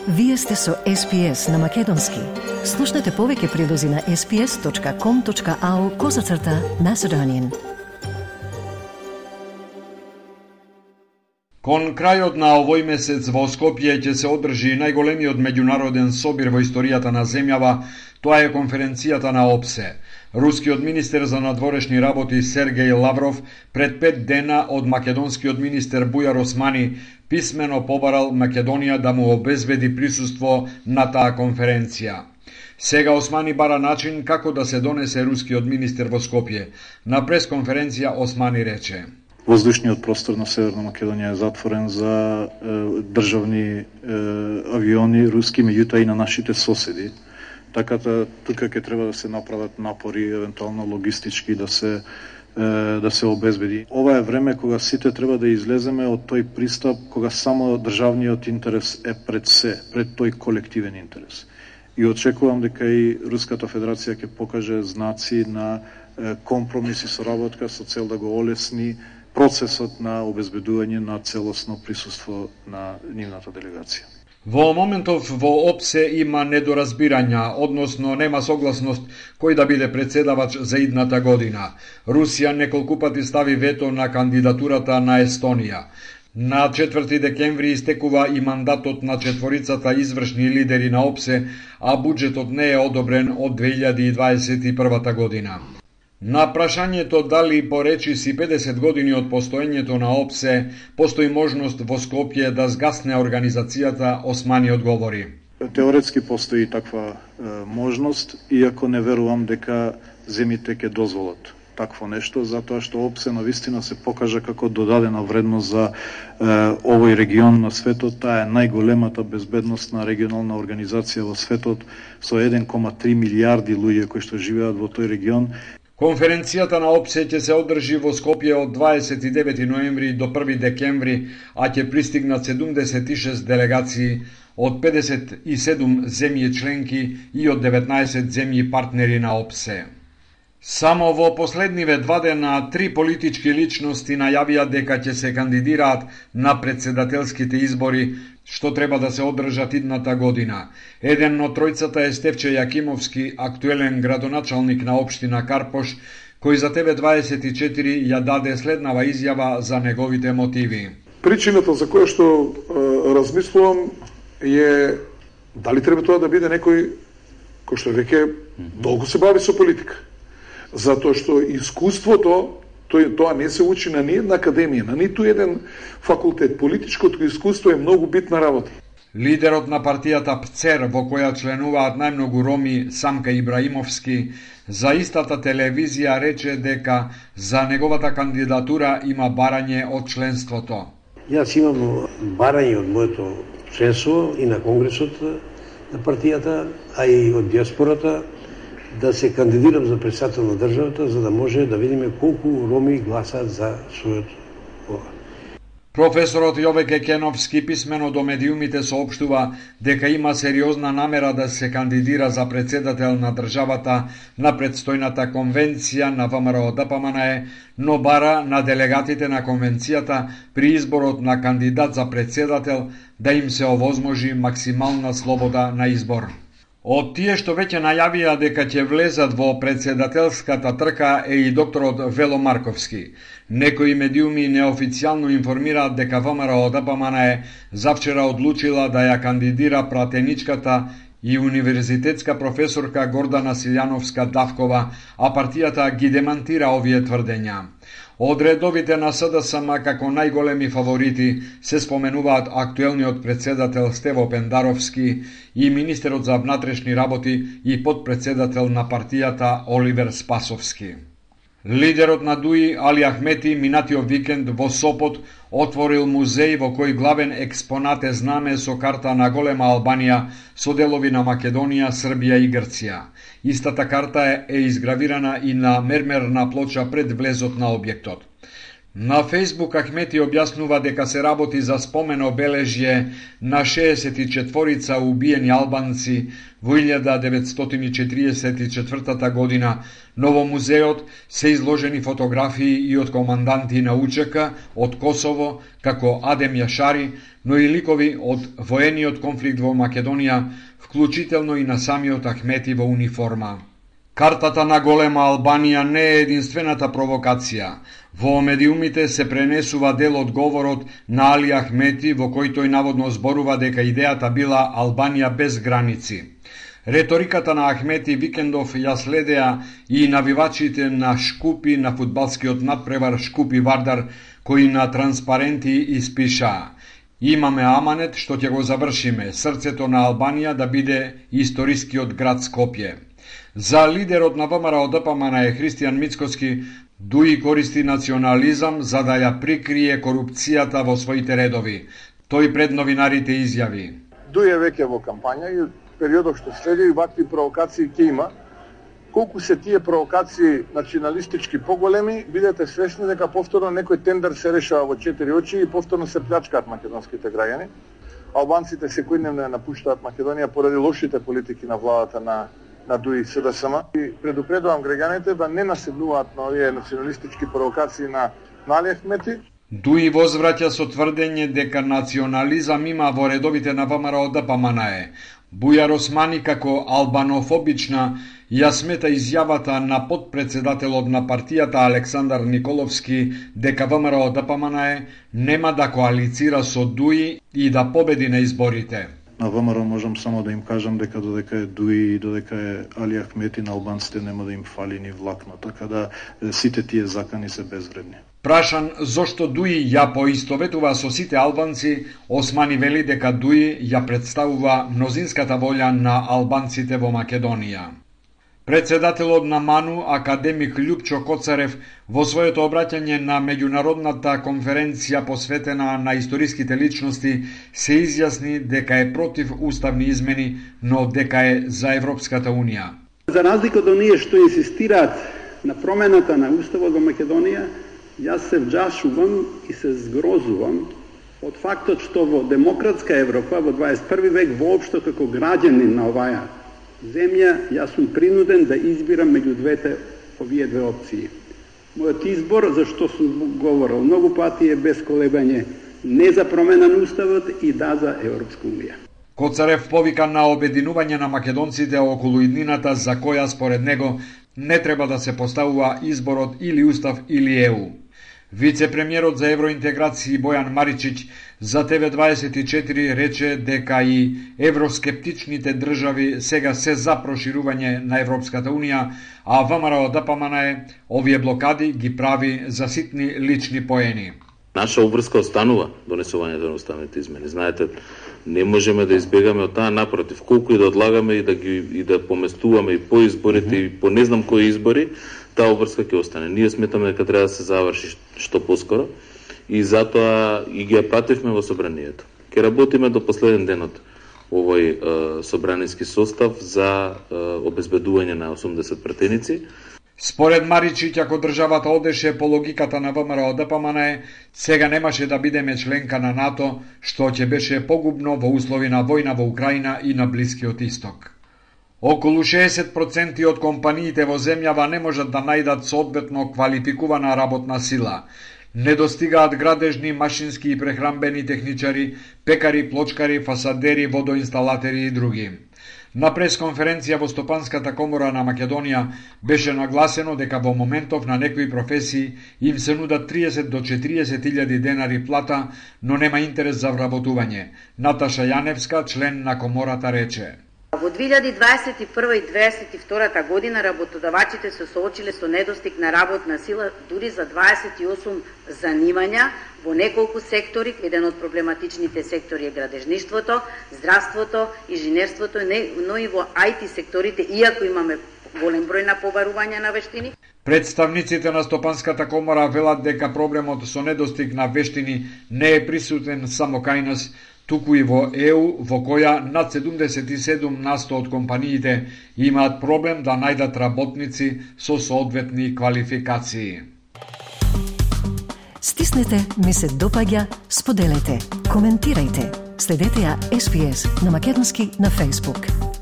Вие сте со SPS на Македонски. Слушнете повеќе прилози на sps.com.au/Macedonian. Кон крајот на овој месец во Скопје ќе се одржи најголемиот меѓународен собир во историјата на земјава, тоа е конференцијата на ОПСЕ. Рускиот министер за надворешни работи Сергеј Лавров пред 5 дена од македонскиот министер Бујар Османи писмено побарал Македонија да му обезбеди присуство на таа конференција. Сега Османи бара начин како да се донесе рускиот министер во Скопје. На пресконференција Османи рече: Воздушниот простор на Северна Македонија е затворен за државни авиони руски, меѓутоа и на нашите соседи. Така тука ќе треба да се направат напори, евентуално логистички да се обезбеди. Ова е време кога сите треба да излеземе од тој пристап кога само државниот интерес е пред се, пред тој колективен интерес. И очекувам дека и Руската Федерација ќе покаже знаци на компромис и соработка со цел да го олесни процесот на обезбедување на целосно присуство на нивната делегација. Во моментов во ОПСЕ има недоразбирања, односно нема согласност кој да биде председавач за идната година. Русија неколку пати стави вето на кандидатурата на Естонија. На 4 декември истекува и мандатот на четворицата извршни лидери на ОПСЕ, а буџетот не е одобрен од 2021 година. На прашањето дали по речиси 50 години од постоењето на ОПСЕ постои можност во Скопје да згасне организацијата, Османи одговори: Теоретски постои таква можност, иако не верувам дека земите ќе дозволат такво нешто, затоа што ОПСЕ навистина се покажа како додадена вредност за овој регион на светот. Таа е најголемата безбедносна регионална организација во светот со 1,3 милијарди луѓе кои што живеат во тој регион. Конференцијата на ОПСЕ ќе се одржи во Скопје од 29 ноември до 1 декември, а ќе пристигнат 76 делегации од 57 земји членки и од 19 земји партнери на ОПСЕ. Само во последниве 2 дена 3 политички личности најавија дека ќе се кандидираат на председателските избори, што треба да се одржат идната година. Еден од тројцата е Стефче Јакимовски, актуелен градоначалник на општина Карпош, кој за TV24 ја даде следнава изјава за неговите мотиви. Причината за која што размислувам е дали треба тоа да биде некој кој што веќе долго се бави со политика. Затоа што искуството тоа не се учи на ниедна академија, на ниту еден факултет. Политичкото искуство е многу битна работа. Лидерот на партијата ПЦЕР, во која членуваат најмногу роми, Самка Ибраимовски, за истата телевизија рече дека за неговата кандидатура има барање од членството. Јас имам барање од моето членство и на конгресот на партијата, а и од диаспората, да се кандидирам за председател на државата, за да може да видиме колку роми гласаат за својот ова. Професорот Јовеке Кеновски писмено до медиумите соопштува дека има сериозна намера да се кандидира за председател на државата на предстојната конвенција на ВМРО-ДПМНЕ, но бара на делегатите на конвенцијата при изборот на кандидат за председател да им се овозможи максимална слобода на избор. Од тие што веќе најавија дека ќе влезат во председателската трка е и докторот Вело Марковски. Некои медиуми неофицијално информираат дека ВМРО-ДПМНЕ завчера одлучила да ја кандидира пратеничката и универзитетска професорка Гордана Силјановска-Давкова, а партијата ги демантира овие тврдења. Од редовите на СДСМ како најголеми фаворити се споменуваат актуелниот председател Стево Пендаровски и министерот за внатрешни работи и подпредседател на партијата Оливер Спасовски. Лидерот на ДУИ Али Ахмети минатиот викенд во Сопот отворил музеј во кој главен експонат е знаме со карта на голема Албанија со делови на Македонија, Србија и Грција. Истата карта е изгравирана и на мермерна плоча пред влезот на објектот. На Фејсбук Ахмети објаснува дека се работи за спомен обележје на 64 убиени албанци во 1944 година, но во музеот се изложени фотографии и од команданти на УЧК од Косово, како Адем Јашари, но и ликови од воениот конфликт во Македонија, вклучително и на самиот Ахмети во униформа. Картата на голема Албанија не е единствената провокација. Во медиумите се пренесува дел од говорот на Али Ахмети, во кој тој наводно зборува дека идејата била Албанија без граници. Реториката на Ахмети викендов ја следеа и навивачите на Шкупи на фудбалскиот надпревар Шкупи Вардар, кои на транспаренти испишаа: "Имаме аманет што ќе го завршиме, срцето на Албанија да биде историскиот град Скопје." За лидерот на ВМРО ДПМН е Христијан Мицкоски, Дуи користи национализам за да ја прикрие корупцијата во своите редови. Тој пред новинарите изјави: Дуи е веќе во кампања и периодот што следи вакви провокации ќе има. Колку се тие провокации националистички поголеми, бидете свесни дека повторно некој тендер се решава во 4 очи и повторно се плячкаат македонските граѓани. Албанците секојдневно напуштаат Македонија поради лошите политики на владата на Дуи СДСМ. И предупредувам граѓаните да не наседнуваат на овие националистички провокации на Али Ахмети. Дуи возвраќа со тврдење дека национализам има во редовите на ВМРО ДПМН. Бујар Османи како албанофобична ја смета изјавата на подпредседателот на партијата Александар Николовски дека ВМРО ДПМН нема да коалицира со Дуи и да победи на изборите. На ВМРО можам само да им кажам дека додека е Дуи и додека е Али Ахмети, на албанците нема да им фали ни влакно, така да сите тие закани се безвредни. Прашан зошто Дуи ја поистоветува со сите албанци, Османи вели дека Дуи ја представува мнозинската волја на албанците во Македонија. Председателот на МАНУ, академик Љупчо Коцарев, во своето обраќање на меѓународната конференција посветена на историските личности, се изјасни дека е против уставни измени, но дека е за Европската Унија. За разлика од оние што инсистираат на промената на уставот во Македонија, јас се вџашувам и се згрозувам од фактот што во демократска Европа во 21 век воопшто како граѓанин на оваа земја, јас сум принуден да избирам меѓу овие две опции. Мојот избор, за што сум говорил многу пати, е без колебање не за промена на уставот и да за Европска унија. Коцарев повика на обединување на македонците околу иднината за која според него не треба да се поставува изборот или устав или ЕУ. Вице-премиерот за евроинтеграција Бојан Маричиќ за ТВ24 рече дека и евроскептичните држави сега се за проширување на Европската Унија, а ВМРО ДПМН овие блокади ги прави за ситни лични поени. Наша обврска останува донесувањето на уставните измени. Знаете, не можеме да избегаме од таа, напротив, колку и да одлагаме и да поместуваме и по изборите и по не знам кои избори, таа обврска ќе остане. Ние сметаме дека треба да се заврши што поскоро и затоа и ги ја пративме во собранието. Ќе работиме до последен ден од овој собраниски состав за обезбедување на 80 пратеници. Според Маричиќ, ако државата одеше по логиката на ВМРО ДПМН, сега немаше да бидеме членка на НАТО, што ќе беше погубно во услови на војна во Украина и на Блискиот Исток. Околу 60% од компаниите во земјава не можат да најдат соодветно квалификувана работна сила. Недостигаат градежни, машински и прехранбени техничари, пекари, плочкари, фасадери, водоинсталатери и други. На пресконференција во Стопанската комора на Македонија беше нагласено дека во моментов на некои професии им се нудат 30 до 40.000 денари плата, но нема интерес за вработување. Наташа Јаневска, член на комората, рече: Во 2021 и 2022 година работодавачите се соочиле со недостиг на работна сила дури за 28 занимања во неколку сектори. Еден од проблематичните сектори е градежништвото, здравството, инженерството, но и во IT секторите, иако имаме голем број на побарување на вештини. Представниците на Стопанската комора велат дека проблемот со недостиг на вештини не е присутен само кај нас, туку и во ЕУ, во која над 77% од компаниите имаат проблем да најдат работници со соодветни квалификации. Стиснете ми се допаѓа, споделете, коментирајте. Следете ја SPS на македонски на Facebook.